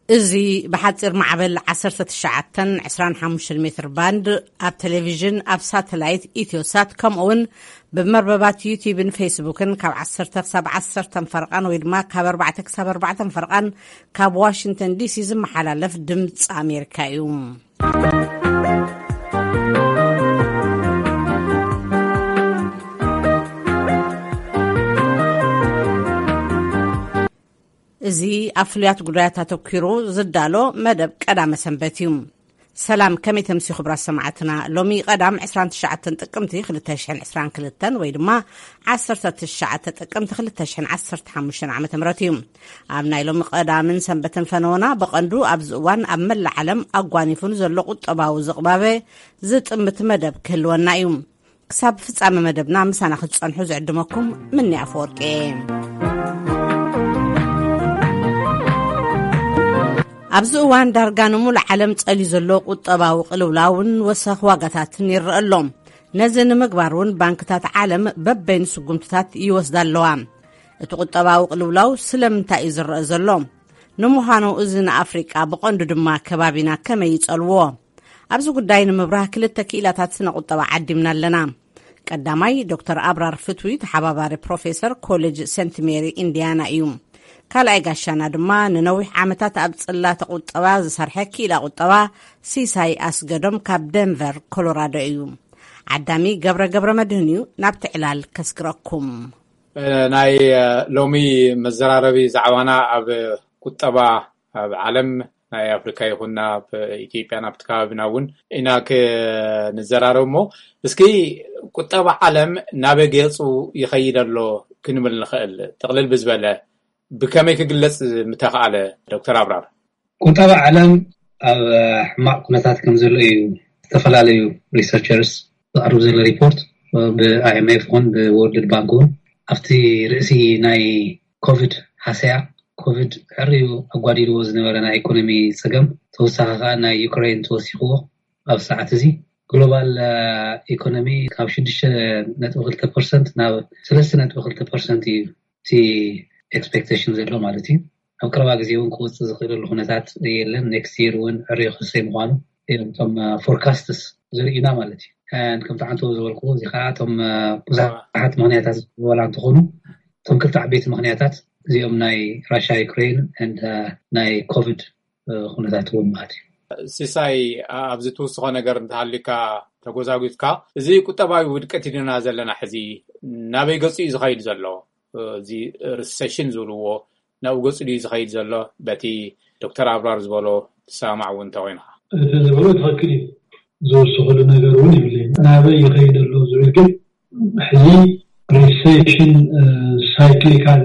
እዚ ብሓፂር ማዕበል ዓሰርተ ትሽዓተን ዕስራን ሓሙሽተን ሜትር ባንድ፣ ኣብ ቴሌቪዥን፣ ኣብ ሳተላይት ኢትዮሳት፣ ከምኡ እውን ብመርበባት ዩቲዩብን ፌስቡክን ካብ ዓሰርተ ክሳብ ዓሰርተ ፈርቓን ወይ ድማ ካብ ኣርባዕተ ክሳብ ኣርባዕተ ፈርቓን ካብ ዋሽንግተን ዲሲ ዝመሓላለፍ ድምፂ ኣሜሪካ እዩ። እዚ ኣብ ፍሉያት ጉዳያት ኣተኲሩ ዝዳሎ መደብ ቀዳመ ሰንበት እዩ። ሰላም፣ ከመይ ተምሲ ክቡራት ሰማዕትና? ሎሚ ቀዳም ዕስራን ትሽዓተን ጥቅምቲ ክልተ ሽሕን ዕስራን ክልተን ወይ ድማ ዓሰርተ ትሽዓተ ጥቅምቲ ክልተ ሽሕን ዓሰርተ ሓሙሽተን ዓመተ ምህረት እዩ። ኣብ ናይ ሎሚ ቀዳምን ሰንበትን ፈነወና ብቐንዱ ኣብዚ እዋን ኣብ መላእ ዓለም ኣጓኒፉን ዘሎ ቁጠባዊ ዝቕባበ ዝጥምት መደብ ክህልወና እዩ። ክሳብ ፍጻመ መደብና ምሳና ክትጸንሑ ዝዕድመኩም ምኒ ኣፈወርቂ እየ። ኣብዚ እዋን ዳርጋ ንሙሉእ ዓለም ጸልዩ ዘሎ ቁጠባዊ ቅልውላውን ወሰኽ ዋጋታትን ይረአ ኣሎ። ነዚ ንምግባር እውን ባንክታት ዓለም በበይኑ ስጉምትታት ይወስዳ ኣለዋ። እቲ ቁጠባዊ ቅልውላው ስለምንታይ እዩ ዝረአ ዘሎ? ንምዃኑ እዚ ንኣፍሪቃ ብቐንዱ ድማ ከባቢና ከመይ ይጸልዎ? ኣብዚ ጉዳይ ንምብራህ ክልተ ክኢላታት ስነ ቁጠባ ዓዲምና ኣለና። ቀዳማይ ዶክተር ኣብራር ፍትዊ፣ ተሓባባሪ ፕሮፌሰር ኮሌጅ ሴንት ሜሪ ኢንዲያና እዩ። ካልኣይ ጋሻና ድማ ንነዊሕ ዓመታት ኣብ ጽላተ ቁጠባ ዝሰርሐ ክኢላ ቁጠባ ሲሳይ ኣስገዶም ካብ ደንቨር ኮሎራዶ እዩ። ዓዳሚ ገብረ ገብረ መድህን እዩ። ናብቲ ዕላል ከስግረኩም። እ፣ ናይ፣ እ፣ ሎሚ መዘራረቢ ዛዕባና ኣብ ቁጠባ ኣብ ዓለም ናይ ኣፍሪካ ይኹን ናብ ኢትዮጵያ ናብቲ ከባቢና እውን ኢና ክንዘራረብ እሞ፣ እስኪ ቁጠባ ዓለም ናበይ ገፁ ይኸይድ ኣሎ ክንብል ንኽእል? ጥቕልል ብዝበለ ብከመይ ክግለፅ ምተኽኣለ? ዶክተር ኣብራር። ቁጠባ ዓለም ኣብ ሕማቕ ኩነታት ከም ዘሎ እዩ ዝተፈላለዩ ሪሰርቸርስ ዘቕርብ ዘሎ ሪፖርት፣ ብ ኣይ ኤም ኤፍ ይኹን ብ ወርልድ ባንክ እውን ኣብቲ ርእሲ ናይ ኮቪድ ሃሰያ፣ ኮቪድ ሕርዩ ኣጓዲልዎ ዝነበረ ናይ ኢኮኖሚ ጸገም፣ ተወሳኺ ከኣ ናይ ዩክሬን ተወሲኽዎ፣ ኣብ ሰዓት እዚ ግሎባል ኢኮኖሚ ካብ ሽዱሽተ ነጥቢ ክልተ ፐርሰንት ናብ ሰለስተ ነጥቢ ክልተ ፐርሰንት እዩ እቲ ኤክስፔክቴሽን ዘሎ ማለት እዩ። ኣብ ቀረባ ግዜ እውን ክወፅእ ዝኽእለሉ ኩነታት የለን። ኔክስት ይር እውን ዕርዩ ክሰይ ምዃኑ እዮም እቶም ፎርካስትስ ዘርእዩና ማለት እዩ። ከምቲ ዓንተው ዝበልክዎ፣ እዚ ከዓ እቶም ብዙሓት ምክንያታት ዝበላ እንትኾኑ፣ እቶም ክልተ ዓበይቲ ምክንያታት እዚኦም ናይ ራሻ ዩክሬን፣ ናይ ኮቪድ ኩነታት እውን ማለት እዩ። ሲሳይ፣ ኣብዚ ትውስኾ ነገር እንተሃሊካ ተጎዛጉዝካ፣ እዚ ቁጠባዊ ውድቀት ኢልና ዘለና ሕዚ ናበይ ገፁ እዩ ዝኸይድ ዘሎ? እዚ ሪሰሽን ዝብልዎ ናብኡ ገፁ ድዩ ዝኸይድ ዘሎ? በቲ ዶክተር ኣብራር ዝበሎ ትሰማማዕ እውን እንተኮይንካ። እቲ ዝበሎ ትኽክል እዩ። ዝውስኽሉ ነገር እውን የብለይን። ናበይ ይኸይድ ኣሎ ዝብል ግን፣ ሕዚ ሪሴሽን ሳይክሊካል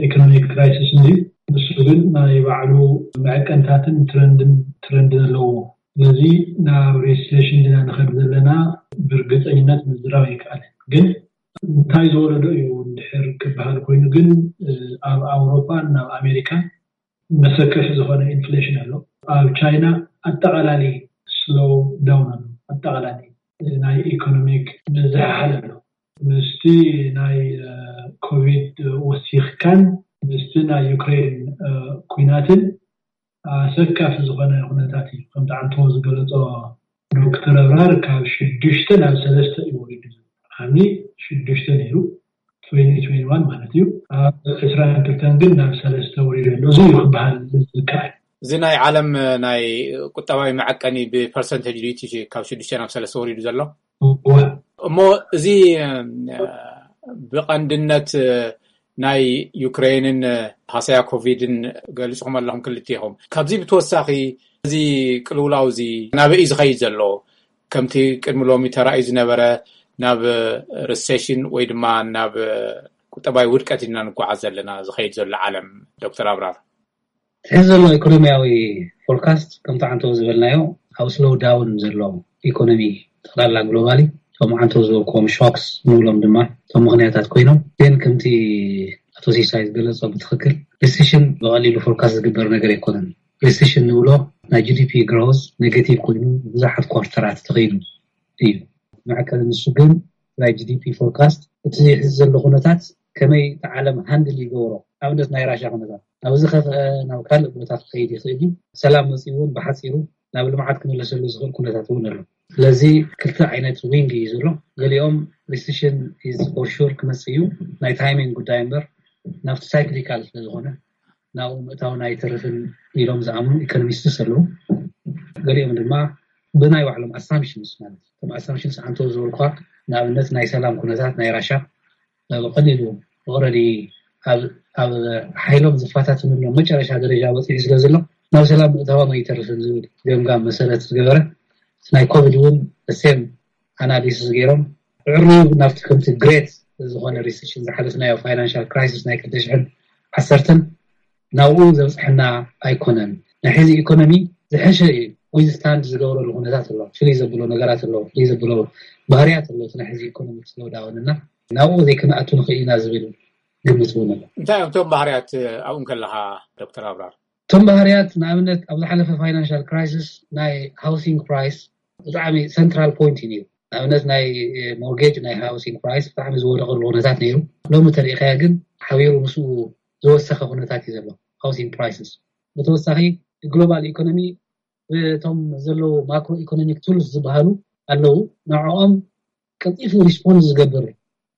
ኢኮኖሚክ ክራይሲስ እንዲ፣ ንሱ ግን ናይ ባዕሉ መዐቀንታትን ትረንድን ትረንድን ኣለዎ። ስለዚ ናብ ሪሴሽን ዲና ንኸድ ዘለና ብርግፀኝነት ምዝራብ ኣይከኣልን። ግን እንታይ ዝወለዶ እዩ እንድሕር ክበሃል ኮይኑ ግን፣ ኣብ ኣውሮፓን ናብ ኣሜሪካን መሰከፊ ዝኾነ ኢንፍሌሽን ኣሎ። ኣብ ቻይና ኣጠቓላሊ ስሎው ዳውን ኣሎ። ኣጠቓላሊ ናይ ኢኮኖሚክ ምዝሕሓል ኣሎ። ምስቲ ናይ ኮቪድ ወሲኽካን ምስቲ ናይ ዩክሬን ኩናትን ኣሰካፊ ዝኾነ ኩነታት እዩ። ከምቲ ዓንቶ ዝገለጾ ዶክተር ኣብራር፣ ካብ ሽዱሽተ ናብ ሰለስተ እዩ ወሪዱ። ዓሚ ሽዱሽተ ነይሩ፣ ትዌንቲ ትዌንቲ ዋን ማለት እዩ። ኣብ ዕስራን ክልተን ግን ናብ ሰለስተ ወሪዱ ኣሎ። እዚ እዩ ክበሃል ዝከኣል። እዚ ናይ ዓለም ናይ ቁጠባዊ መዐቀኒ ብፐርሰንቴጅ ድዩ እቲ ካብ ሽዱሽተ ናብ ሰለስተ ወሪዱ ዘሎ? እወ። እሞ እዚ ብቐንድነት ናይ ዩክሬንን ሃሰያ ኮቪድን ገሊጽኹም ኣለኹም ክልቲኹም። ካብዚ ብተወሳኺ እዚ ቅልውላው እዚ ናበይ እዩ ዝኸይድ ዘሎ? ከምቲ ቅድሚ ሎሚ ተራእዩ ዝነበረ ናብ ሪሴሽን ወይ ድማ ናብ ቁጠባዊ ውድቀት ኢና ንጓዓዝ ዘለና ዝኸይድ ዘሎ ዓለም፣ ዶክተር ኣብራር? ሕዚ ዘሎ ኢኮኖሚያዊ ፎርካስት ከምቲ ዓንቶ ዝበልናዮ ኣብ ስሎው ዳውን ዘሎ ኢኮኖሚ ጠቕላላ ግሎባሊ፣ እቶም ዓንቶ ዝበልክዎም ሾክስ ንብሎም ድማ እቶም ምኽንያታት ኮይኖም፣ ግን ከምቲ ኣቶ ሲሳይ ዝገለጾ ብትኽክል ሪሴሽን ብቐሊሉ ፎርካስት ዝግበር ነገር ኣይኮነን። ሪሴሽን ንብሎ ናይ ጂ ዲ ፒ ግሮዝ ኔጌቲቭ ኮይኑ ብዙሓት ኳርተራት ተኸይዱ እዩ። መዐቀኒ ንሱ ግን ናይ ጂ ዲ ፒ ፎርካስት እቲ ሕዚ ዘሎ ኩነታት ከመይ እቲ ዓለም ሃንድል ይገብሮ፣ ኣብነት ናይ ራሻ ኩነታት ናብዚ ከፍአ ናብ ካልእ ቦታ ክኸይድ ይኽእል እዩ። ሰላም መፂኡ እውን ብሓፂሩ ናብ ልምዓት ክምለሰሉ ዝኽእል ኩነታት እውን ኣሎ። ስለዚ ክልተ ዓይነት ዊንግ እዩ ዘሎ። ገሊኦም ሪሲሽን ኢዝ ፎር ሹር ክመፅእ እዩ፣ ናይ ታይሚንግ ጉዳይ እምበር ናብቲ ሳይክሊካል ስለዝኾነ ናብኡ ምእታውን ኣይተርፍን ኢሎም ዝኣምኑ ኢኮኖሚስትስ ኣለዉ። ገሊኦም ድማ ብናይ ባዕሎም ኣሳምፕሽንስ ማለት እቶም ኣሳምፕሽንስ ኣንተ ዝበልኳ ንኣብነት ናይ ሰላም ኩነታት ናይ ራሻ ብቐሊሉ ኦረዲ ኣብ ሓይሎም ዝፈታትንሎም መጨረሻ ደረጃ በፂሑ ስለ ዘሎ ናብ ሰላም ምእታዎም ኣይተርፍን ዝብል ገምጋም መሰረት ዝገበረ ናይ ኮቪድ እውን ሴም ኣናሊሲስ ገይሮም ዕርዩ ናብቲ ከምቲ ግሬት ዝኾነ ሪሴሽን ዝሓለፍናዮ ፋይናንሻል ክራይሲስ ናይ ክልተ ሽሕን ዓሰርተን ናብኡ ዘብፅሐና ኣይኮነን። ናይ ሕዚ ኢኮኖሚ ዝሐሸ እዩ ዊዝስታንድ ዝገብረሉ ኩነታት ኣሎ። ፍልይ ዘብሎ ነገራት ኣሎ፣ ፍልይ ዘብሎ ባህርያት ኣሎ። እቲ ናይ ሕዚ ኢኮኖሚ ስሎዳውን እና ናብኡ ዘይክንኣቱ ንኽእል ኢና ዝብል ግምት እውን ኣሎ። እንታይ እዮም እቶም ባህርያት ኣብኡ ከለኻ ዶክተር ኣብራር? እቶም ባህርያት ንኣብነት ኣብ ዝሓለፈ ፋይናንሻል ክራይሲስ ናይ ሃውሲንግ ፕራይስ ብጣዕሚ ሰንትራል ፖይንት እዩ ነይሩ። ንኣብነት ናይ ሞርጌጅ ናይ ሃውሲንግ ፕራይስ ብጣዕሚ ዝወደቀሉ ኩነታት ነይሩ። ሎሚ ተሪኢኻያ ግን ሓቢሩ ምስኡ ዝወሰኸ ኩነታት እዩ ዘሎ ሃውሲንግ ፕራይስስ። ብተወሳኺ ግሎባል ኢኮኖሚ እቶም ዘለዉ ማክሮ ኢኮኖሚክ ቱልስ ዝበሃሉ ኣለዉ፣ ንዕኦም ቀልጢፉ ሪስፖንድ ዝገብር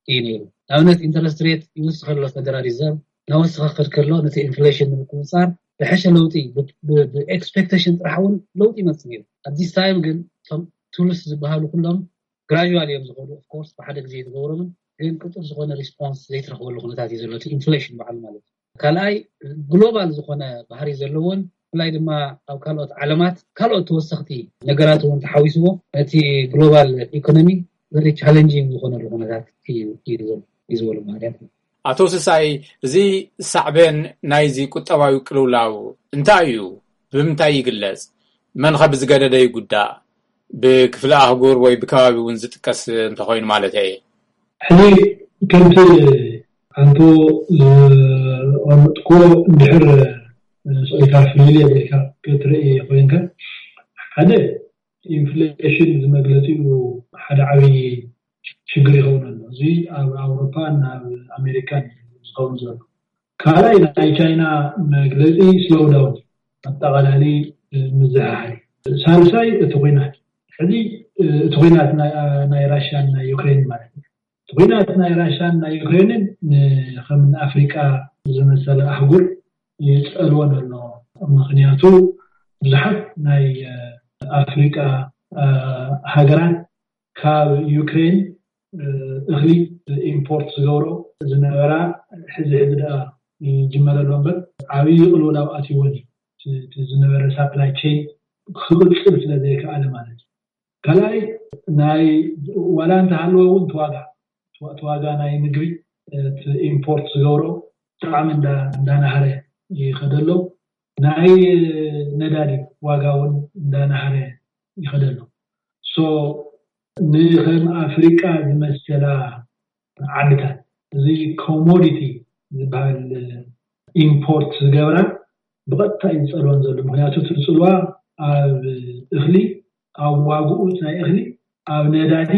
እዩ ነይሩ። ንኣብነት ኢንተረስት ሬት ይወስኽ ከሎ ፌደራል ሪዘርቭ ናወስኸ ክድ ከሎ ነቲ ኢንፍሌሽን ንምቁፅፃር ዝሐሸ ለውጢ ብኤክስፔክቴሽን ጥራሕ እውን ለውጢ ይመፅእ ነይሩ። ኣት ዲስ ታይም ግን እቶም ቱልስ ዝበሃሉ ኩሎም ግራጁዋል እዮም ዝኸዱ። ኦፍኮርስ ብሓደ ግዜ ዝገበሮምን ግን ቅጡር ዝኾነ ሪስፖንስ ዘይትረኽበሉ ኩነታት እዩ ዘሎ እቲ ኢንፍሌሽን በዓሉ ማለት እዩ። ካልኣይ ግሎባል ዝኾነ ባህሪ ዘለዎን ብፍላይ ድማ ኣብ ካልኦት ዓለማት ካልኦት ተወሰኽቲ ነገራት እውን ተሓዊስዎ ነቲ ግሎባል ኢኮኖሚ ቨሪ ቻለንጂንግ ዝኾነሉ ኩነታት እዩ እዩ ዝበሉ ባህርያት። ኣቶ ስሳይ፣ እዚ ሳዕቤን ናይዚ ቁጠባዊ ቅልውላው እንታይ እዩ? ብምንታይ ይግለጽ? መን ኸ ብዝገደደ ይጉዳእ? ብክፍለ ኣህጉር ወይ ብከባቢ እውን ዝጥቀስ እንተኾይኑ ማለት እየ። ሕዚ ከምቲ ኣንቶ ዝቐመጥኮ እንድሕር ስቕኢልካ ፍልልየ ኢልካ ክትርኢ ኮይንካ ሓደ ኢንፍሌሽን ዝመግለፂኡ ሓደ ዓብዪ ሽግር ይኸውን ኣሎ። እዚ ኣብ ኣውሮፓን ኣብ ኣሜሪካን ዝኸውን ዘሎ። ካልኣይ ናይ ቻይና መግለፂ ስሎው ዳውን ኣጠቓላሊ ምዝሕሓል። ሳልሳይ እቲ ኩናት ሕዚ እቲ ኩናት ናይ ራሽያን ናይ ዩክሬን ማለት እዩ። እቲ ኩናት ናይ ራሽያን ናይ ዩክሬንን ከም ኣፍሪቃ ዝመሰለ ኣህጉር ይፀልወን ኣሎ። ምክንያቱ ብዙሓት ናይ ኣፍሪቃ ሃገራት ካብ ዩክሬን እኽሊ ኢምፖርት ዝገብሮ ዝነበራ ሕዚ ሕዚ ደኣ ይጅመረሎ እምበር ዓብዪ ቅልውላው ኣትይወን እዩ። ዝነበረ ሳፕላይ ቼን ክቕፅል ስለ ዘይከኣለ ማለት እዩ። ካልኣይ ናይ ዋላ እንተሃለወ እውን እቲ ዋጋ እቲ ዋጋ ናይ ምግቢ እቲ ኢምፖርት ዝገብሮ ብጣዕሚ እንዳናሃረ ይኸደሎ። ናይ ነዳዲ ዋጋ እውን እንዳናሃረ ይኸደሎ። ሶ ንከም ኣፍሪቃ ዝመሰላ ዓድታት እዚ ኮሞዲቲ ዝበሃል ኢምፖርት ዝገብራ ብቐጥታ እዩ ዝፀልወን ዘሎ። ምክንያቱ እቲ ፅልዋ ኣብ እኽሊ ኣብ ዋግኡ ናይ እኽሊ ኣብ ነዳዲ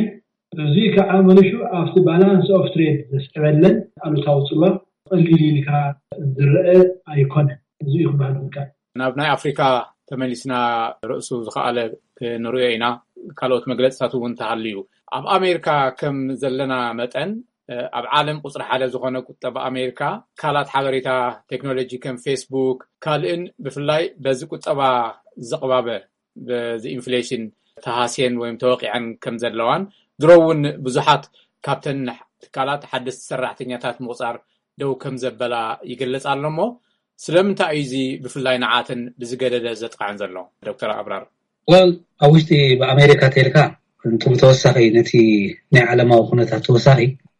እዚ ከዓ መልሹ ኣብቲ ባላንስ ኦፍ ትሬድ ዘስዕበለን ኣሉታዊ ፅልዋ ቀሊል ኢልካ ዝረአ ኣይኮነን። እዚ እዩ ክበሃል ዝከኣል። ናብ ናይ ኣፍሪካ ተመሊስና ርእሱ ዝኸኣለ ክንርእዮ ኢና። ካልኦት መግለፅታት እውን ተሃልዩ ኣብ ኣሜሪካ ከም ዘለና መጠን ኣብ ዓለም ቁፅሪ ሓደ ዝኾነ ቁጠባ ኣሜሪካ ትካላት ሓበሬታ ቴክኖሎጂ ከም ፌስቡክ ካልእን ብፍላይ በዚ ቁጠባ ዘቕባበ በዚ ኢንፍሌሽን ተሃስየን ወይም ተወቂዐን ከም ዘለዋን ድሮ እውን ብዙሓት ካብተን ትካላት ሓደስቲ ሰራሕተኛታት ምቑፃር ደው ከም ዘበላ ይገልፅ ኣሎ እሞ ስለምንታይ እዩ እዚ ብፍላይ ንዓተን ብዝገደደ ዘጥቃዕን ዘሎ? ዶክተር ኣብራር። ወል ኣብ ውሽጢ ብኣሜሪካ ተልካ እንቱ ተወሳኺ ነቲ ናይ ዓለማዊ ኩነታት ተወሳኺ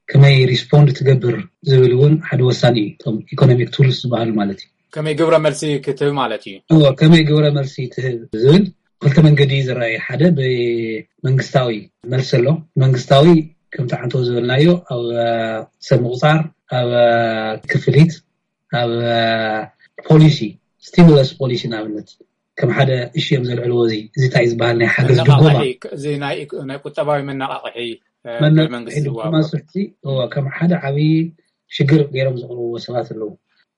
ከመይ ሪስፖንድ ትገብር ዝብል እውን ሓደ ወሳኒ እዩ። እቶም ኢኮኖሚክ ቱልስ ዝበሃሉ ማለት እዩ። ከመይ ግብረ መልሲ ክትህብ ማለት እዩ። እዎ ከመይ ግብረ መልሲ ትህብ ዝብል ክልተ መንገዲ እዩ ዝረኣየ። ሓደ ብመንግስታዊ መልሲ ኣሎ። መንግስታዊ ከምቲ ዓንተው ዝበልናዮ ኣብ ሰብ ምቁፃር፣ ኣብ ክፍሊት፣ ኣብ ፖሊሲ ስቲሙለስ ፖሊሲ ንኣብነት ከም ሓደ እሺ እዮም ዘልዕልዎ። እዚ እዚ እንታይ ዝበሃል ናይ ሓገዝ ድጎማ እዚ ናይ ቁጠባዊ መነቃቕሒ መንግስቲ ድጎማ ስሕቲ ከም ሓደ ዓብዪ ሽግር ገይሮም ዘቕርብዎ ሰባት ኣለዉ።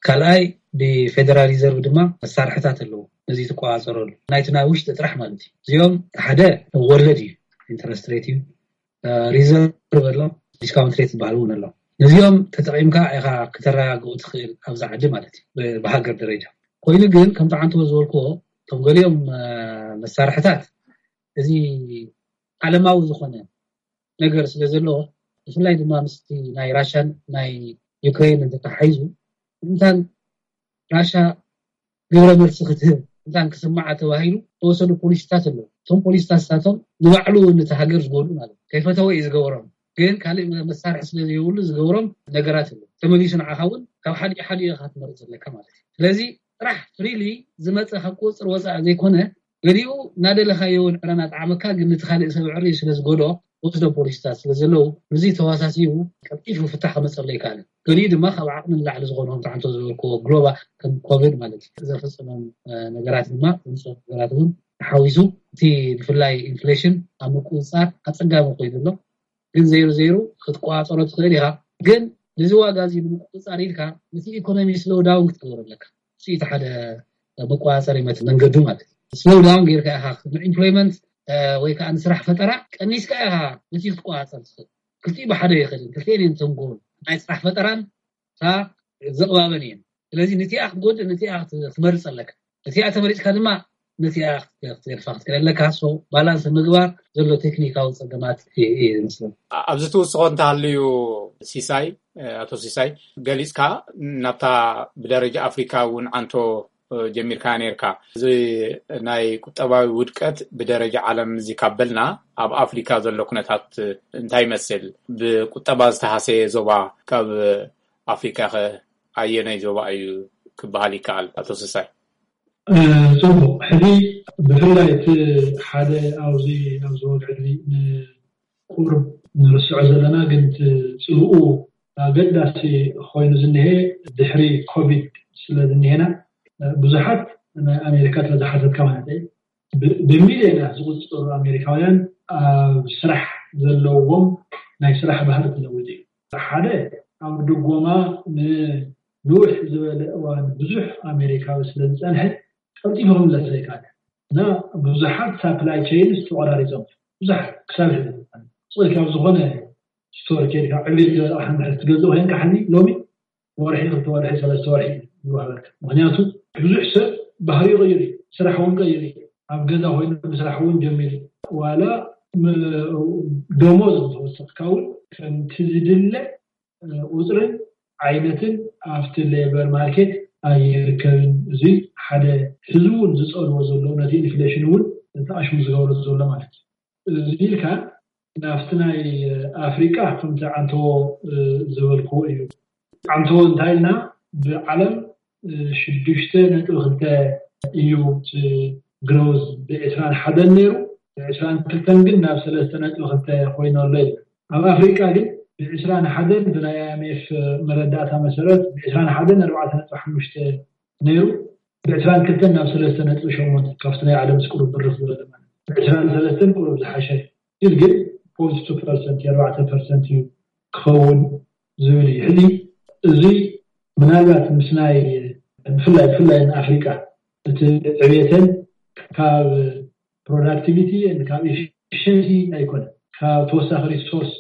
ካልኣይ ብፌደራል ሪዘርቭ ድማ መሳርሕታት ኣለዎ ነዚ ትቆፃፀረሉ ናይቲ ናይ ውሽጢ ጥራሕ ማለት እዩ። እዚኦም ሓደ ወለድ እዩ፣ ኢንተረስት ሬት እዩ፣ ሪዘርቭ ኣሎ፣ ዲስካውንት ሬት ዝበሃል እውን ኣሎ። ነዚኦም ተጠቂምካ ኢኻ ክተረጋግኡ ትኽእል ኣብዚ ዓዲ ማለት እዩ፣ ብሃገር ደረጃ። ኮይኑ ግን ከምቲ ዓንተቦ ዝበልክዎ እቶም ገሊኦም መሳርሕታት እዚ ዓለማዊ ዝኾነ ነገር ስለ ዘለዎ፣ ብፍላይ ድማ ምስቲ ናይ ራሻን ናይ ዩክሬን እንተተሓሒዙ እንታን ራሻ ግብረ መልሲ ክትህብ እንታን ክስማዓ ተባሂሉ ተወሰኑ ፖሊሲታት ኣለዉ። እቶም ፖሊሲታት ንሳቶም ንባዕሉ እውን ነቲ ሃገር ዝጎድኡ ማለት እዩ። ከይፈተወ እዩ ዝገበሮም፣ ግን ካልእ መሳርሒ ስለ ዘይብሉ ዝገብሮም ነገራት ኣለዉ። ተመሊሱ ንዓኻ እውን ካብ ሓዲኡ ሓዲኡ ኢኻ ክትመርፅ ዘለካ ማለት እዩ። ስለዚ ጥራሕ ፍሪሊ ዝመፀ ካብ ቁፅፅር ወፃኢ ዘይኮነ ገሊኡ እናደለኻዮ እውን ዕረ እናጠዓመካ ግን ነቲ ካልእ ሰብ ዕሪ ስለ ዝጎድኦ ወስዶ ፖሊሲታት ስለ ዘለዉ እዚ ተዋሳሲቡ ቀልጢፉ ፍታሕ ከመፀሉ ኣይከኣልን። ገሊኡ ድማ ካብ ዓቕሚ ንላዕሊ ዝኾኑ ከምቲ ዓንተቦ ዝበልክዎ ግሎባል ከም ኮቪድ ማለት እዩ ዘፈፀሞም ነገራት ድማ ዘምፅኦ ነገራት እውን ተሓዊሱ እቲ ብፍላይ ኢንፍሌሽን ኣብ ምቁፅፃር ኣፀጋሚ ኮይኑ ኣሎ። ግን ዘይሩ ዘይሩ ክትቆፃፀሮ ትኽእል ኢኻ። ግን ነዚ ዋጋ እዚ ንምቁፅፃር ኢልካ ነቲ ኢኮኖሚ ስሎው ዳውን ክትገብሮ ኣለካ። እቲ ሓደ መቆፃፀሪ መት መንገዱ ማለት እዩ። ስሎው ዳውን ጌርካ ኢኻ ንኢምፕሎይመንት ወይ ከዓ ንስራሕ ፈጠራ ቀኒስካ ኢኻ ነቲ ክትቆፃፀር ትኽእል። ክልቲኡ ብሓደ ይኽእል። ክልቲኤን እየን ተንጎል ናይ ስራሕ ፈጠራን እታ ዘቕባበን እየን። ስለዚ ነቲኣ ክትጎድእ ነቲኣ ክትመርፅ ኣለካ። እቲኣ ተመሪፅካ ድማ ነቲኣ ክትገድፋ ክትክእል ኣለካ። ባላንስ ምግባር ዘሎ ቴክኒካዊ ፀገማት ይመስለኒ። ኣብዚ ትውስኾ እንተሃልዩ ሲሳይ፣ ኣቶ ሲሳይ፣ ገሊፅካ ናብታ ብደረጃ ኣፍሪካ እውን ዓንቶ ጀሚርካ ነርካ። እዚ ናይ ቁጠባዊ ውድቀት ብደረጃ ዓለም እዚ ካብ በልና ኣብ ኣፍሪካ ዘሎ ኩነታት እንታይ ይመስል? ብቁጠባ ዝተሃሰየ ዞባ ካብ ኣፍሪካ ከ ኣየናይ ዞባ እዩ ክበሃል ይከኣል? ኣቶ ስሳይ። ጽቡቕ። ሕዚ ብፍላይ እቲ ሓደ ኣብዚ ኣብዚ ወግዒ እዚ ንቁሩብ ንርስዖ ዘለና ግን እቲ ጽልኡ ኣገዳሲ ኮይኑ ዝንሄ ድሕሪ ኮቪድ ስለ ዝንሄና ብዙሓት ናይ ኣሜሪካ ተዝሓተትካ ማለት እዩ ብሚልዮናት ዝቁፅሩ ኣሜሪካውያን ኣብ ስራሕ ዘለዎም ናይ ስራሕ ባህሪ ክለውጥ እዩ። ሓደ ኣብ ድጎማ ንንውሕ ዝበለ እዋን ብዙሕ ኣሜሪካዊ ስለ ዝፀንሐ ቀልጢፉ ክምለስ ዘይከኣለ እና ብዙሓት ሳፕላይ ቸይንስ ተቆራሪፆም ብዙሓት ክሳብ ሕዚ ስቕ ኢልካ ኣብ ዝኾነ ስቶር ኬድካ ዕብሪት ዝበለ ኣቕሓ እንድሕር ትገዝእ ኮይንካ ሕዚ ሎሚ ወርሒ ክልተ ወርሒ ሰለስተ ወርሒ ይወሃበልካ። ምክንያቱ ብዙሕ ሰብ ባህሪ ይቕይር እዩ፣ ስራሕ እውን ቀይር እዩ። ኣብ ገዛ ኮይኑ ምስራሕ እውን ጀሚሩ ዋላ ደሞዝ እንተወሰኽካ እውን ከምቲ ዝድለ ቁፅርን ዓይነትን ኣብቲ ሌበር ማርኬት ኣይርከብን። እዚ ሓደ ህዝቢ እውን ዝፀልዎ ዘሎ ነቲ ኢንፍሌሽን እውን ተኣሽሙ ዝገብሮ ዘሎ ማለት እዩ። እዚ ኢልካ ናብቲ ናይ ኣፍሪቃ ከምቲ ዓንተዎ ዝበልክዎ እዩ። ዓንተዎ እንታይ ኢልና ብዓለም ሽዱሽተ ነጥቢ ክልተ እዩ እቲ ግሮዝ ብዕስራን ሓደን ነይሩ ብዕስራን ክልተን ግን ናብ ሰለስተ ነጥቢ ክልተ ኮይኑ ኣሎ ይብል። ኣብ ኣፍሪቃ ግን ብዕስራን ሓደን ብናይ ኣይኤምኤፍ መረዳእታ መሰረት ብዕስራን ሓደን ኣርባዕተ ነጥቢ ሓሙሽተ ነይሩ ብዕስራን ክልተን ናብ ሰለስተ ነጥቢ ሸሞንተ ካብቲ ናይ ዓለም ስቁሩብ ብርኽ ዝበለ ማለት ብዕስራን ሰለስተን ቁሩብ ዝሓሸ ኢል ግን ፖይንት ቱ ፐርሰንት የኣርባዕተ ፐርሰንት እዩ ክኸውን ዝብል እዩ። ሕዚ እዚ ምናልባት ምስ ናይ ብፍላይ ብፍላይ ንኣፍሪቃ እቲ ዕብየተን ካብ ፕሮዳክቲቪቲ ካብ ኤፊሽንሲ ኣይኮነ ካብ ተወሳኺ ሪሶርስ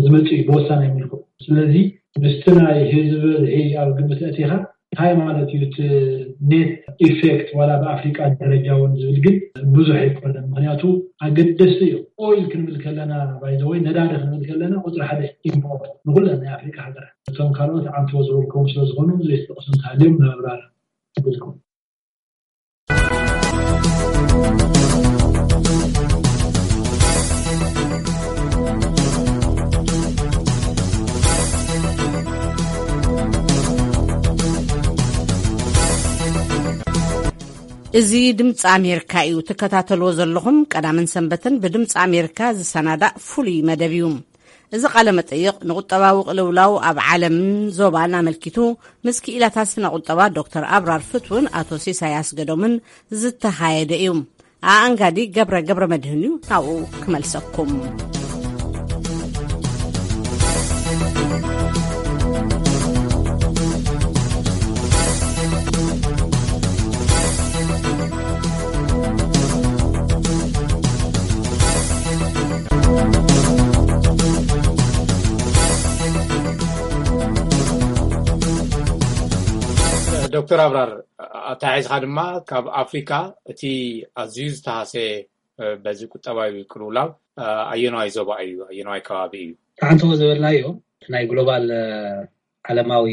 ዝመፅእ እዩ ብወሳናይ መልክዑ። ስለዚ ምስቲ ናይ ህዝቢ ብዝሒ ኣብ ግምት ኣእቲኻ እንታይ ማለት እዩ እቲ ኔት ኢፌክት ዋላ ብኣፍሪቃ ደረጃ እውን ዝብል ግን ብዙሕ ኣይኮነን። ምክንያቱ ኣገደስቲ እዩ። ኦይል ክንብል ከለና ባይዘወይ ነዳዲ ክንብል ከለና ቁፅሪ ሓደ ኢምፖርት ንኩለን ናይ ኣፍሪቃ ሃገራት እቶም ካልኦት ዓንትቦ ዝበልኩም ስለዝኾኑ ዘይተጠቅሱ እንተሃልዮም ንምብራር ይብልኩም። እዚ ድምፂ ኣሜሪካ እዩ ትከታተልዎ ዘለኹም። ቀዳምን ሰንበትን ብድምፂ ኣሜሪካ ዝሰናዳእ ፍሉይ መደብ እዩ። እዚ ቃለ መጠይቕ ንቁጠባዊ ቅልውላው ኣብ ዓለምን ዞባን ኣመልኪቱ ምስ ክኢላታት ስነ ቁጠባ ዶክተር ኣብራር ፍትውን ኣቶ ሲሳይ ኣስገዶምን ዝተኻየደ እዩ። ኣኣንጋዲ ገብረ ገብረ መድህን እዩ ናብኡ ክመልሰኩም። ዶክተር ኣብራር፣ ኣተሓሒዝካ ድማ ካብ ኣፍሪካ እቲ ኣዝዩ ዝተሃሰየ በዚ ቁጠባዊ ቅልውላው ኣየናዋይ ዞባ እዩ፣ ኣየናዋይ ከባቢ እዩ? ተሓንተዎ ዝበልናዮ ናይ ግሎባል ዓለማዊ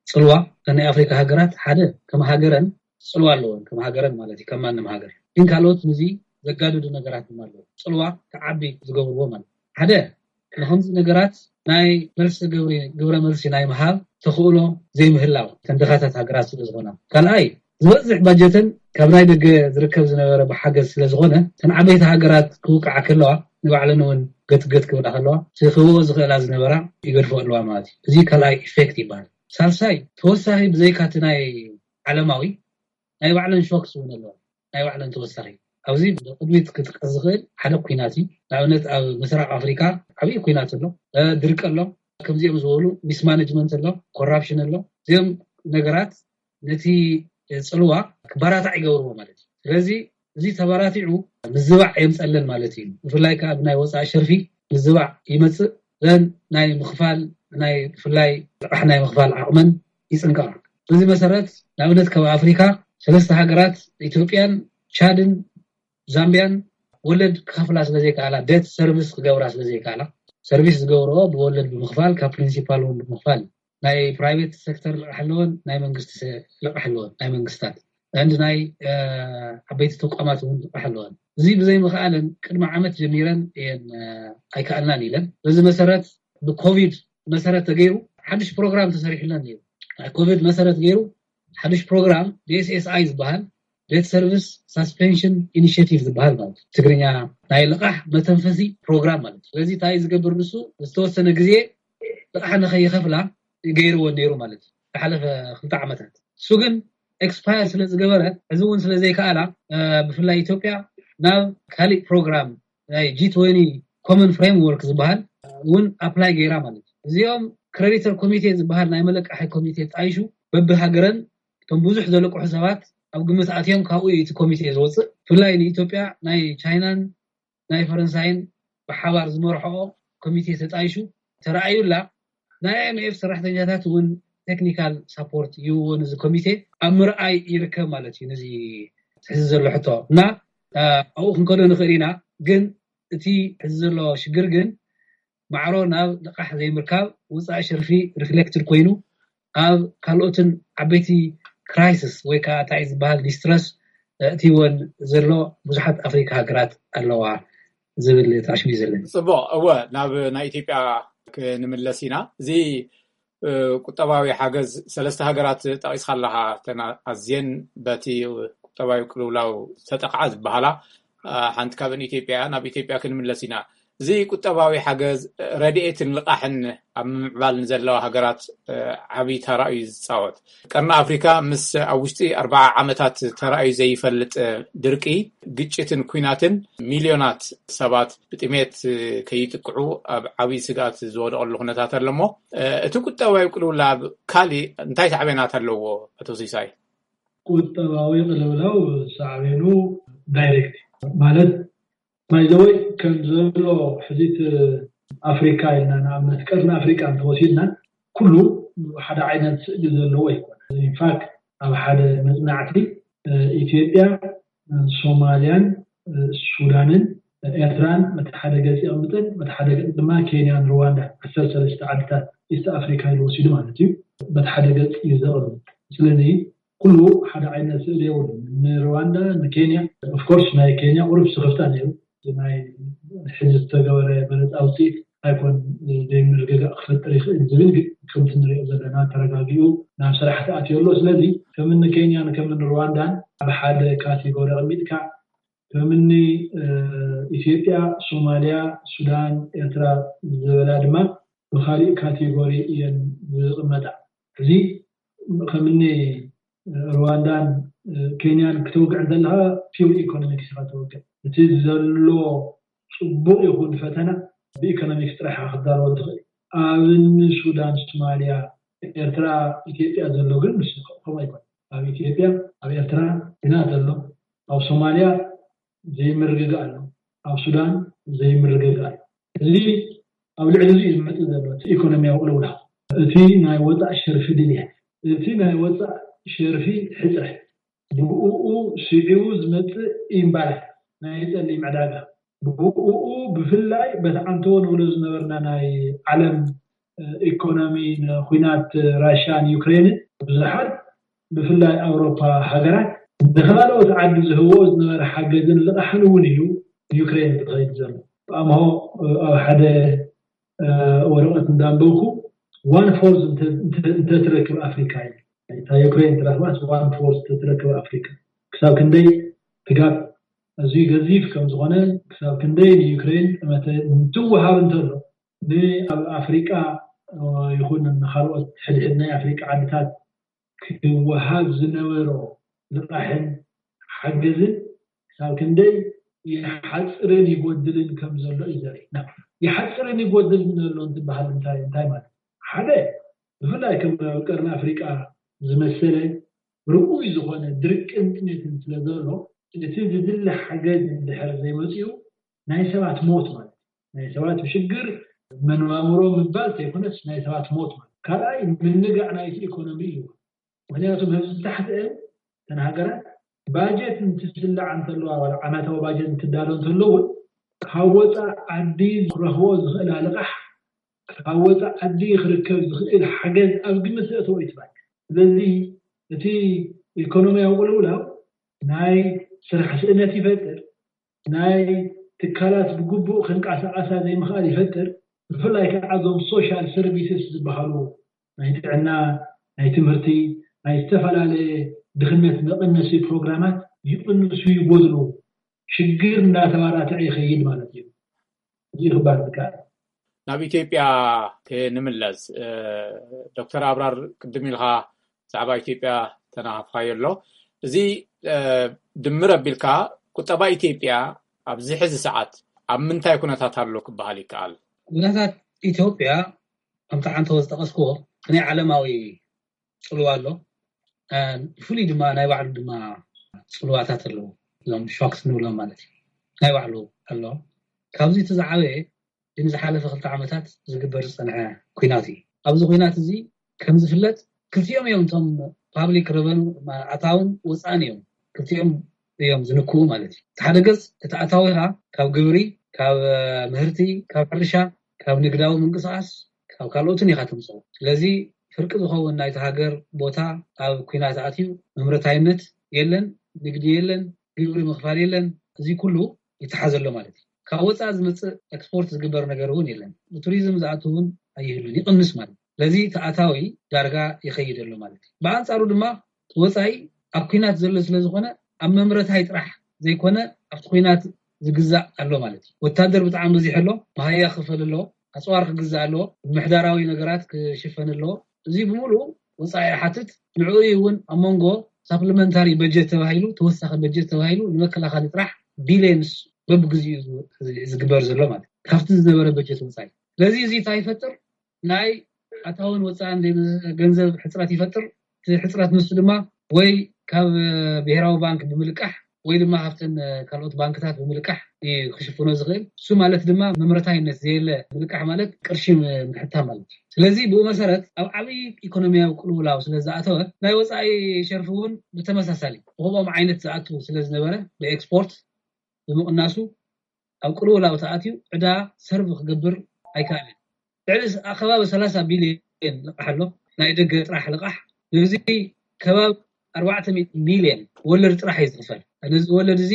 ፅልዋ፣ ናይ ኣፍሪካ ሃገራት ሓደ ከም ሃገረን ፅልዋ ኣለዎን፣ ከም ሃገረን ማለት እዩ፣ ከም ማንም ሃገር። ግን ካልኦት ንዚ ዘጋድዱ ነገራት ድማ ኣለዉ፣ ፅልዋ ክዓቢ ዝገብርዎ ማለት። ሓደ ንከምዚ ነገራት ናይ መልሲ ግብሪ፣ ግብረ መልሲ ናይ ምሃብ ተኽእሎ ዘይምህላው፣ ተንደኻታት ሃገራት ስለ ዝኾና። ካልኣይ ዝበዝሕ ባጀተን ካብ ናይ ደገ ዝርከብ ዝነበረ ብሓገዝ ስለ ዝኾነ፣ ተን ዓበይቲ ሃገራት ክውቃዓ ከለዋ ንባዕለን እውን ገትገት ክብላ ከለዋ፣ ክህቦ ዝኽእላ ዝነበራ ይገድፎ ኣለዋ ማለት እዩ። እዚ ካልኣይ ኢፌክት ይበሃል። ሳልሳይ ተወሳኺ ብዘይካቲ ናይ ዓለማዊ ናይ ባዕለን ሾክስ እውን ኣለዋ። ናይ ባዕለን ተወሳኺ ኣብዚ ቅድሚት ክጥቀስ ዝኽእል ሓደ ኩናት እዩ። ንኣብነት ኣብ ምስራቅ ኣፍሪካ ዓብዪ ኩናት ኣሎ፣ ድርቂ ኣሎ፣ ከምዚኦም ዝበሉ ሚስማነጅመንት ኣሎ፣ ኮራፕሽን ኣሎ። እዚኦም ነገራት ነቲ ፅልዋ ክበራታዕ ይገብርዎ ማለት እዩ። ስለዚ እዚ ተበራቲዑ ምዝባዕ የምፀለን ማለት እዩ። ብፍላይ ከዓ ብናይ ወፃኢ ሸርፊ ምዝባዕ ይመፅእ። ዘን ናይ ምኽፋል ናይ ብፍላይ ልቓሕ ናይ ምኽፋል ዓቕመን ይፅንቀቓ። በዚ መሰረት ንኣብነት ካብ ኣፍሪካ ሰለስተ ሃገራት ኢትዮጵያን ቻድን ዛምቢያን ወለድ ክኸፍላ ስለዘይከኣላ፣ ደት ሰርቪስ ክገብራ ስለዘይከኣላ፣ ሰርቪስ ዝገብርኦ ብወለድ ብምኽፋል ካብ ፕሪንሲፓል እውን ብምኽፋል ናይ ፕራይቬት ሴክተር ልቕሕ ኣለዎን ናይ መንግስቲ ልቕሕ ኣለዎን ናይ መንግስታት እንድ ናይ ዓበይቲ ተቋማት እውን ልቕሕ ኣለዎን። እዚ ብዘይምኽኣለን ቅድሚ ዓመት ጀሚረን እየን ኣይከኣልናን ኢለን። በዚ መሰረት ብኮቪድ መሰረት ተገይሩ ሓድሽ ፕሮግራም ተሰሪሕለን እዩ። ናይ ኮቪድ መሰረት ገይሩ ሓድሽ ፕሮግራም ዲኤስኤስኣይ ዝበሃል ዴት ሰርቪስ ሳስፔንሽን ኢኒሽቲቭ ዝበሃል ማለት ትግርኛ ናይ ልቓሕ መተንፈሲ ፕሮግራም ማለት። ስለዚ እንታይ ዝገብር ንሱ ዝተወሰነ ግዜ ልቓሕ ንኸይኸፍላ ገይርዎ ነይሩ ማለት እዩ። ዝሓለፈ ክልተ ዓመታት እሱ ግን ኤክስፓየር ስለ ዝገበረ እዚ እውን ስለ ዘይከኣላ ብፍላይ ኢትዮጵያ ናብ ካሊእ ፕሮግራም ናይ ጂ ትወኒ ኮመን ፍሬምወርክ ዝበሃል እውን ኣፕላይ ገይራ ማለት እዩ። እዚኦም ክሬዲተር ኮሚቴ ዝበሃል ናይ መለቃሒ ኮሚቴ ጣይሹ በብሃገረን እቶም ብዙሕ ዘለቅሑ ሰባት ኣብ ግምት ኣትዮም ካብኡ እዩ እቲ ኮሚቴ ዝወፅእ። ብፍላይ ንኢትዮጵያ ናይ ቻይናን ናይ ፈረንሳይን ብሓባር ዝመርሖኦ ኮሚቴ ተጣይሹ ተረኣዩላ። ናይ ኣይኤምኤፍ ሰራሕተኛታት እውን ቴክኒካል ሳፖርት ይህብዎ ነዚ ኮሚቴ ኣብ ምርኣይ ይርከብ ማለት እዩ። ነዚ ሕዚ ዘሎ ሕቶ እና ኣብኡ ክንከዶ ንኽእል ኢና። ግን እቲ ሕዚ ዘሎ ሽግር ግን ማዕሮ ናብ ልቓሕ ዘይምርካብ ውፃእ ሸርፊ ሪፍሌክትድ ኮይኑ ኣብ ካልኦትን ዓበይቲ ክራይሲስ ወይ ከዓ እንታይ ዝበሃል ዲስትረስ እቲወን ዘሎ ብዙሓት ኣፍሪካ ሃገራት ኣለዋ ዝብል ተኣሽሙ እዩ ዘለኒ። ፅቡቕ፣ እወ ናብ ናይ ኢትዮጵያ ክንምለስ ኢና። እዚ ቁጠባዊ ሓገዝ ሰለስተ ሃገራት ጠቒስካ ኣለኻ፣ ተን ኣዝየን በቲ ቁጠባዊ ቅልውላው ዝተጠቕዓ ዝበሃላ ሓንቲ ካብን ኢትዮጵያ። ናብ ኢትዮጵያ ክንምለስ ኢና። እዚ ቁጠባዊ ሓገዝ ረድኤትን ልቓሕን ኣብ ምምዕባል ንዘለዋ ሃገራት ዓብዪ ተራ እዩ ዝፃወት። ቀርኒ ኣፍሪካ ምስ ኣብ ውሽጢ ኣርባዓ ዓመታት ተራእዩ ዘይፈልጥ ድርቂ፣ ግጭትን ኩናትን ሚልዮናት ሰባት ብጥሜት ከይጥቅዑ ኣብ ዓብዪ ስግኣት ዝወደቐሉ ኩነታት ኣሎ። እሞ እቲ ቁጠባዊ ቅልውላብ ካሊእ እንታይ ሳዕቤናት ኣለዎ? ኣቶ ሲሳይ። ቁጠባዊ ቅልውላው ሳዕቤኑ ዳይሬክት ማለት ባይዘወይ ከም ዘሎ ሕዚት ኣፍሪካ ኢልና ንኣብነት ቀርኒ ኣፍሪካ እንተወሲድና ኩሉ ሓደ ዓይነት ስእሊ ዘለዎ ኣይኮነ። ኢንፋክት ኣብ ሓደ መፅናዕቲ ኢትዮጵያ፣ ሶማልያን ሱዳንን ኤርትራን በቲ ሓደ ገፅ የቕምጠን፣ በቲ ሓደ ገፅ ድማ ኬንያን ሩዋንዳ፣ ዓሰርተ ሰለስተ ዓድታት ኢስት ኣፍሪካ ኢሉ ወሲዱ ማለት እዩ። በቲ ሓደ ገፅ እዩ ዘቕምጥ። ስለዚ ኩሉ ሓደ ዓይነት ስእሊ የብሉን። ንሩዋንዳ፣ ንኬንያ፣ ኦፍኮርስ ናይ ኬንያ ቁሩብ ስኽፍታ ነይሩ። ናይ ሕዚ ዝተገበረ መረፃ ውፅኢት ኣይኮን ዘይምርግጋእ ክፈጥር ይኽእል ዝብል፣ ግን ከምቲ ንሪኦ ዘለና ተረጋጊኡ ናብ ስራሕ ተኣትዮ ኣሎ። ስለዚ ከምኒ ኬንያን ከምኒ ሩዋንዳን ኣብ ሓደ ካቴጎሪ ኣቐሚጥካ ከምኒ ኢትዮጵያ፣ ሶማልያ፣ ሱዳን፣ ኤርትራ ዝበላ ድማ ብካሊእ ካቴጎሪ እየን ዝቕመጣ። እዚ ከምኒ ሩዋንዳን ኬንያን ክተውግዕ እንተለካ ፒውር ኢኮኖሚክስ ኢካ ተወግዕ። እቲ ዘሎ ፅቡቅ ይኹን ፈተና ብኢኮኖሚክስ ጥራሕ ክትዳለዎ ትኽእል። ኣብ ሱዳን፣ ሶማልያ፣ ኤርትራ፣ ኢትዮጵያ ዘሎ ግን ምስ ከምኡ ኣይኮን። ኣብ ኢትዮጵያ፣ ኣብ ኤርትራ ግና ዘሎ፣ ኣብ ሶማልያ ዘይምርግጋእ ኣሎ፣ ኣብ ሱዳን ዘይምርግጋእ ኣሎ። እዚ ኣብ ልዕሊ እዚ እዩ ዝመፅእ ዘሎ እቲ ኢኮኖሚያዊ ቅልውላው፣ እቲ ናይ ወፃእ ሸርፊ ድልየት፣ እቲ ናይ ወፃእ ሸርፊ ሕፅረት፣ ብኡ ስዒቡ ዝመፅእ ኢምባላንስ ናይ ፀሊም ዕዳጋ፣ ብኡ ብፍላይ በቲ ዓንተቦ ንብሎ ዝነበርና ናይ ዓለም ኢኮኖሚ ንኩናት ራሽያን ዩክሬንን ብዙሓት ብፍላይ ኣውሮፓ ሃገራት ንካልኦት ዓዲ ዝህብኦ ዝነበረ ሓገዝን ልቓሕን እውን እዩ ዩክሬን ዝኸይድ ዘሎ። ኣምሆ ኣብ ሓደ ወረቐት እንዳንበብኩ ዋን ፎርዝ እንተትረክብ ኣፍሪካ እዩ። እታ ዩክሬን ትረክባስ ዋን ፎርዝ ተትረክብ ኣፍሪካ ክሳብ ክንደይ ትጋብ ኣዝዩ ገዚፍ ከም ዝኾነ ክሳብ ክንደይ ንዩክሬን ጠመተ እንትወሃብ እንተሎ ንኣብ ኣፍሪቃ ይኹን ንካልኦት ሕድሕድ ናይ ኣፍሪቃ ዓድታት ክወሃብ ዝነበሮ ልቃሕን ሓገዝን ክሳብ ክንደይ ይሓፅርን ይጎድልን ከም ዘሎ እዩ ዘርኢ። ይሓፅርን ይጎድልን ዘሎ እንትበሃል እንታይ እንታይ ማለት ሓደ ብፍላይ ከም ኣብ ቀርኒ ኣፍሪቃ ዝመሰለ ርኡይ ዝኾነ ድርቅን ጥሜትን ስለ ዘሎ እቲ ዝድለ ሓገዝ እንድሕር ዘይመፅኡ ናይ ሰባት ሞት ማለት ናይ ሰባት ሽግር መነባብሮ ምባል ዘይኮነስ ናይ ሰባት ሞት ማለት ካልኣይ ምንጋዕ ናይቲ ኢኮኖሚ እዩ። ምክንያቱ ህዝቢ ታሕትአን እተን ሃገራት ባጀት እንትስላዓ እንተለዋ ዓመታዊ ባጀት እንትዳሎ እንተለውን ካብ ወፃእ ዓዲ ክረኽቦ ዝኽእል ልቓሕ ካብ ወፃእ ዓዲ ክርከብ ዝኽእል ሓገዝ ኣብ ግምት ዘእተወ እዩ ትባል። ስለዚ እቲ ኢኮኖሚያዊ ቅልውላው ናይ ስራሕ ስእነት ይፈጥር፣ ናይ ትካላት ብግቡእ ክንቀሳቐሳ ዘይምኽኣል ይፈጥር። ብፍላይ ከዓ እዞም ሶሻል ሰርቪስስ ዝበሃሉ ናይ ጥዕና፣ ናይ ትምህርቲ፣ ናይ ዝተፈላለየ ድኽነት መቐነሲ ፕሮግራማት ይቕንሱ ይጎድሉ። ሽግር እናተባራትዐ ይኸይድ ማለት እዩ። እዚ ክባል ዝከኣል ናብ ኢትዮጵያ ክንምለስ ዶክተር ኣብራር ቅድም ኢልካ ብዛዕባ ኢትዮጵያ ተናሃፍካዮ ኣሎ። እዚ ድምር ኣቢልካ ቁጠባ ኢትዮጵያ ኣብዚ ሕዚ ሰዓት ኣብ ምንታይ ኩነታት ኣሎ ክበሃል ይከኣል? ኩነታት ኢትዮጵያ ከምቲ ዓንተቦ ዝጠቐስክዎ ናይ ዓለማዊ ፅልዋ ኣሎ። ብፍሉይ ድማ ናይ ባዕሉ ድማ ፅልዋታት ኣለዎ። እዞም ሾክስ ንብሎም ማለት እዩ ናይ ባዕሉ ኣሎ። ካብዚ እቲ ዝዓበየ ንዝሓለፈ ክልተ ዓመታት ዝግበር ዝፀንሐ ኩናት እዩ። ኣብዚ ኩናት እዚ ከም ዝፍለጥ ክልቲኦም እዮም እቶም ፓብሊክ ረቨኑ ኣታውን ወፃእን እዮም ክልቲኦም እዮም ዝንክኡ ማለት እዩ። እቲ ሓደ ገፅ እቲ ኣታዊኻ ካብ ግብሪ፣ ካብ ምህርቲ፣ ካብ ሕርሻ፣ ካብ ንግዳዊ ምንቅስቃስ ካብ ካልኦትን ኢኻ ተምፅኦ። ስለዚ ፍርቂ ዝኸውን ናይቲ ሃገር ቦታ ኣብ ኩናት ኣትዩ መምረታይነት የለን፣ ንግዲ የለን፣ ግብሪ ምኽፋል የለን። እዚ ኩሉ ይተሓዘሎ ማለት እዩ። ካብ ወፃኢ ዝመፅእ ኤክስፖርት ዝግበር ነገር እውን የለን። ብቱሪዝም ዝኣቱ እውን ኣይህሉን፣ ይቕንስ ማለት እዩ። ስለዚ ተኣታዊ ዳርጋ ይኸይድ ኣሎ ማለት እዩ። ብኣንፃሩ ድማ ወፃኢ ኣብ ኩናት ዘሎ ስለ ዝኾነ ኣብ መምረታይ ጥራሕ ዘይኮነ ኣብቲ ኩናት ዝግዛእ ኣሎ ማለት እዩ። ወታደር ብጣዕሚ በዚሑ ኣሎ፣ መሃያ ክፈል ኣሎ፣ ኣፅዋር ክግዛእ ኣለዎ፣ ምሕዳራዊ ነገራት ክሽፈን ኣለዎ። እዚ ብምሉእ ወፃኢ ሓትት ንዕኡ እውን ኣብ መንጎ ሳፕሊመንታሪ በጀት ተባሂሉ ተወሳኺ በጀት ተባሂሉ ንመከላኸሊ ጥራሕ ቢልየንስ በብግዚኡ ዝግበር ዘሎ ማለት ካብቲ ዝነበረ በጀት ወፃኢ። ስለዚ እዚ እንታይ ይፈጥር? ናይ ኣታውን ወፃእን ገንዘብ ሕፅረት ይፈጥር። እቲ ሕፅረት ንሱ ድማ ወይ ካብ ብሄራዊ ባንክ ብምልቃሕ ወይ ድማ ካብተን ካልኦት ባንክታት ብምልቃሕ ክሽፍኖ ዝኽእል። እሱ ማለት ድማ መምረታይነት ዘየለ ምልቃሕ ማለት ቅርሺ ምሕታ ማለት እዩ። ስለዚ ብኡ መሰረት ኣብ ዓብዪ ኢኮኖሚያዊ ቅልውላው ስለ ዝኣተወ ናይ ወፃኢ ሸርፊ እውን ብተመሳሳሊ ብከምኦም ዓይነት ዝኣቱ ስለ ዝነበረ ብኤክስፖርት ብምቕናሱ ኣብ ቅልውላው ተኣትዩ ዕዳ ሰርቭ ክገብር ኣይከኣልን። ልዕሊ ኣከባቢ ሰላሳ ቢልዮን ልቃሕ ኣሎ ናይ ደገ ጥራሕ ልቃሕ። ነዚ ከባቢ ኣርባዕተ ሚእቲ ሚልዮን ወለድ ጥራሕ እዩ ዝኽፈል። ነዚ ወለድ እዚ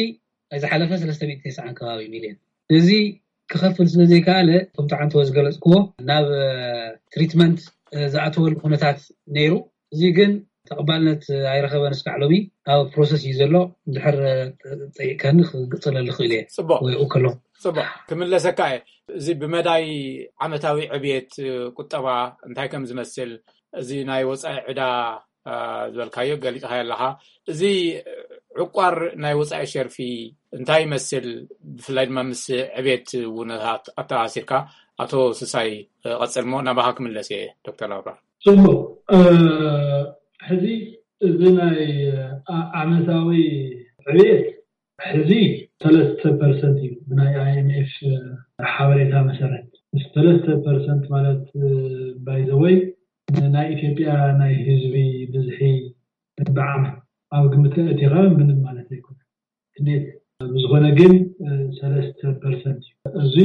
ዝሓለፈ ሰለስተ ሚእቲ ተስዓን ከባቢ ሚልዮን ነዚ ክኸፍል ስለ ዘይከኣለ ከምቲ ዓንተቦ ዝገለፅክዎ ናብ ትሪትመንት ዝኣተወሉ ኩነታት ነይሩ። እዚ ግን ተቐባልነት ኣይረኸበን እስካዕ ሎሚ ኣብ ፕሮሰስ እዩ ዘሎ። እንድሕር ጠይቀኒ ክግፀለሉ ክእል እየ። ፅቡቅ ወይኡ ከሎ ፅቡቅ ክምለሰካ እየ። እዚ ብመዳይ ዓመታዊ ዕብየት ቁጠባ እንታይ ከም ዝመስል እዚ ናይ ወፃኢ ዕዳ ዝበልካዮ ገሊፅካዮ ኣለካ። እዚ ዕቋር ናይ ወፃኢ ሸርፊ እንታይ ይመስል? ብፍላይ ድማ ምስ ዕብየት ውነታት ኣተኣሳሲርካ ኣቶ ስሳይ ቀፅልሞ ናባካ ክምለስ እየ። ዶክተር ኣብራር ፅቡቅ ሕዚ እዚ ናይ ዓመታዊ ዕብየት ሕዚ ሰለስተ ፐርሰንት እዩ ብናይ ኣይኤምኤፍ ሓበሬታ መሰረት። ሰለስተ ፐርሰንት ማለት ባይዘወይ ናይ ኢትዮጵያ ናይ ህዝቢ ብዝሒ ብዓመት ኣብ ግምት ኣእቲኻ ምንም ማለት ኣይኮነን። ክንደይ ብዝኾነ ግን ሰለስተ ፐርሰንት እዩ። እዚ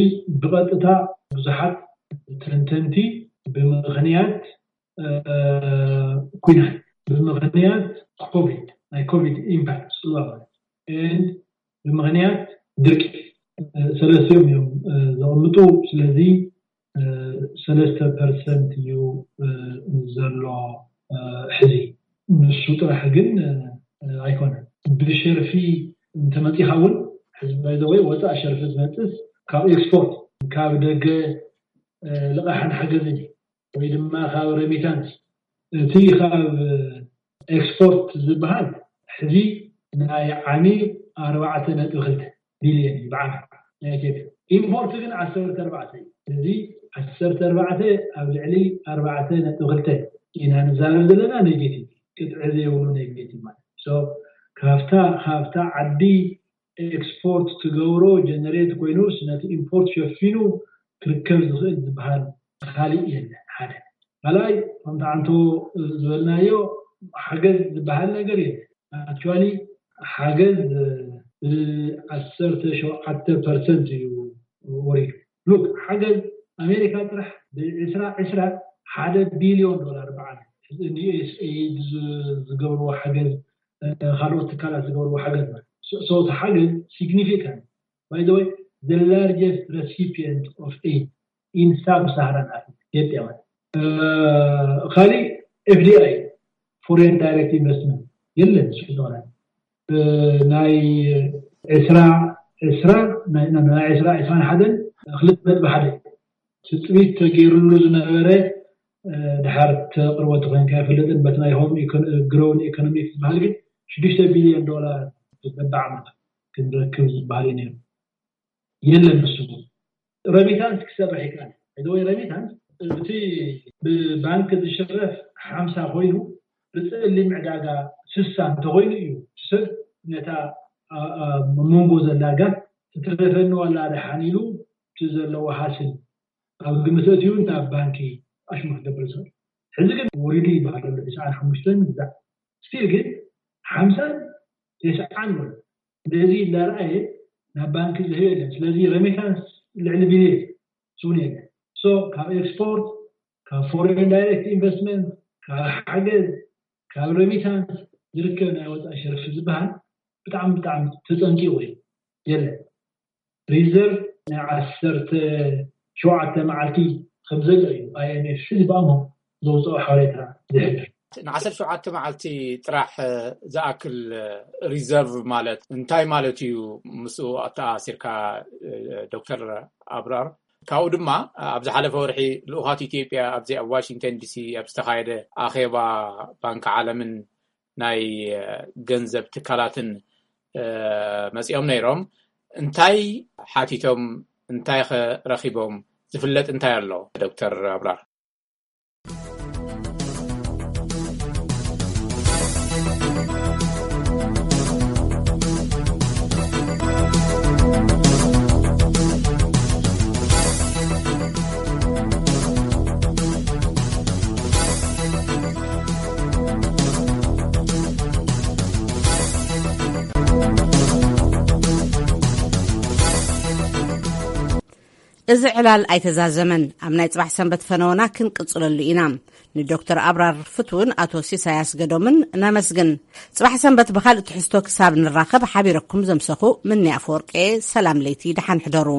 ብቐጥታ ብዙሓት ተንተንቲ ብምኽንያት ኩናት፣ ብምኽንያት ኮቪድ፣ ናይ ኮቪድ ኢምፓክት ስዋ ማለት፣ ብምኽንያት ድርቂ፣ ሰለስቲኦም እዮም ዘቕምጡ። ስለዚ ሰለስተ ፐርሰንት እዩ ዘሎ ሕዚ። ንሱ ጥራሕ ግን ኣይኮነን። ብሸርፊ እንተመፂኻ እውን ሕዚ ባይዘወይ ወፃእ ሸርፊ ዝመፅስ ካብ ኤክስፖርት፣ ካብ ደገ ልቓሕን ሓገዝን እዩ፣ ወይ ድማ ካብ ረሚታንስ። እቲ ካብ ኤክስፖርት ዝበሃል ሕዚ ናይ ዓሚ ኣርባዕተ ነጥቢ ክልተ ቢልዮን እዩ ብዓመት ናይ ኢትዮጵያ። ኢምፖርት ግን ዓሰርተ ኣርባዕተ እዩ። እዚ ዓሰርተ ኣርባዕተ ኣብ ልዕሊ ኣርባዕተ ነጥቢ ክልተ ኢና ንዛረብ ዘለና፣ ኔጌቲቭ ቅጥዒ ዘይብሉ ኔጌቲቭ ማለት። ካብታ ካብታ ዓዲ ኤክስፖርት ትገብሮ ጀነሬት ኮይኑስ ነቲ ኢምፖርት ሸፊኑ ክርከብ ዝኽእል ዝበሃል ካሊእ የለን። ሓደ ካልኣይ ከምቲ ዓንቶ ዝበልናዮ ሓገዝ ዝበሃል ነገር የለን። ኣክቹዋሊ ሓገዝ ብዓሰርተ ሸውዓተ ፐርሰንት እዩ ወሪዱ። ሉክ ሓገዝ ኣሜሪካ ጥራሕ ብዕስራ ዕስራ ሓደ ቢልዮን ዶላር ብዓመት ንዩኤስኤይድ ዝገብርዎ ሓገዝ፣ ካልኦት ትካላት ዝገብርዎ ሓገዝ ማለት። So እቲ ሓገዝ ሲግኒፊካንት፣ by the way, the largest recipient of aid in sub-Saharan Africa ኢትዮጵያ ማለት። ካልእ ኤፍዲኣይ፣ ፎሬን ዳይሬክት ኢንቨስትመንት፣ የለን ሽዑ ናይ ዕስራ ዕስራ ናይ ዕስራ ዕስራን ሓደን ክልተ ነጥቢ ሓደ ትፅቢት ተገይሩሉ ዝነበረ፣ ድሓር ተቕርቦ ተኮይንካ ይፈልጥን በቲ ናይ ሆም ግሮውን ኢኮኖሚክ ዝበሃል ግን ሽዱሽተ ቢልዮን ዶላር በብዓመት ክንረክብ ዝበሃል እዩ ነይሩ። የለን ንሱ። ረሚታንስ ክሰርሕ ይከኣል። ወይ ረሚታንስ እቲ ብባንክ ዝሽረፍ ሓምሳ ኮይኑ ብፀሊም ዕዳጋ ስሳ እንተኮይኑ እዩ ሰብ ነታ መንጎ ዘላ ጋት ትትረፈኒ ዋላ ደሓን ኢሉ እቲ ዘለዎ ሃስል ኣብ ግምት ኣእትዩ ናብ ባንኪ ኣሽሙ ክገብር ዝኽእል። ሕዚ ግን ወሪዱ ይበሃል ኣሎ። ትስዓን ሓሙሽተን ግዛዕ ስቲል ግን ሓምሳን ተስዓን ወለ እንደዚ እንዳረኣየ ናብ ባንኪ ዝህብ የለን። ስለዚ ረሚታንስ ልዕሊ ቢልዮን ስውን የለን። So ካብ ኤክስፖርት፣ ካብ ፎሬን ዳይሬክት ኢንቨስትመንት፣ ካብ ሓገዝ፣ ካብ ረሚታንስ ዝርከብ ናይ ወፃኢ ሸርፊ ዝበሃል ብጣዕሚ ብጣዕሚ ተፀንቂቑ እዩ። የለን። ሪዘርቭ ናይ ዓሰርተ ሸውዓተ መዓልቲ ከም ዘሎ እዩ ኣይኤምኤፍ ሕዚ ብኣሞ ዘውፅኦ ሓበሬታ ዝሕብር። ንዓሰርተ ሸውዓተ መዓልቲ ጥራሕ ዝኣክል ሪዘርቭ ማለት እንታይ ማለት እዩ? ምስኡ ኣተኣሲርካ ዶክተር ኣብራር፣ ካብኡ ድማ ኣብ ዝሓለፈ ወርሒ ልኡኻት ኢትዮጵያ ኣብዚ ኣብ ዋሽንግተን ዲሲ ኣብ ዝተኻየደ ኣኼባ ባንክ ዓለምን ናይ ገንዘብ ትካላትን መፂኦም ነይሮም። እንታይ ሓቲቶም? እንታይ ከ ረኺቦም? ዝፍለጥ እንታይ ኣሎ? ዶክተር ኣብራር። እዚ ዕላል ኣይተዛዘመን። ኣብ ናይ ጽባሕ ሰንበት ፈነወና ክንቅጽለሉ ኢና። ንዶክተር ኣብራር ፍትውን ኣቶ ሲሳይ ኣስገዶምን ነመስግን። ጽባሕ ሰንበት ብኻልእ ትሕዝቶ ክሳብ ንራኸብ ሓቢረኩም ዘምሰኹ ምኒ ኣፈወርቄ። ሰላም ለይቲ፣ ደሓን ሕደሩ።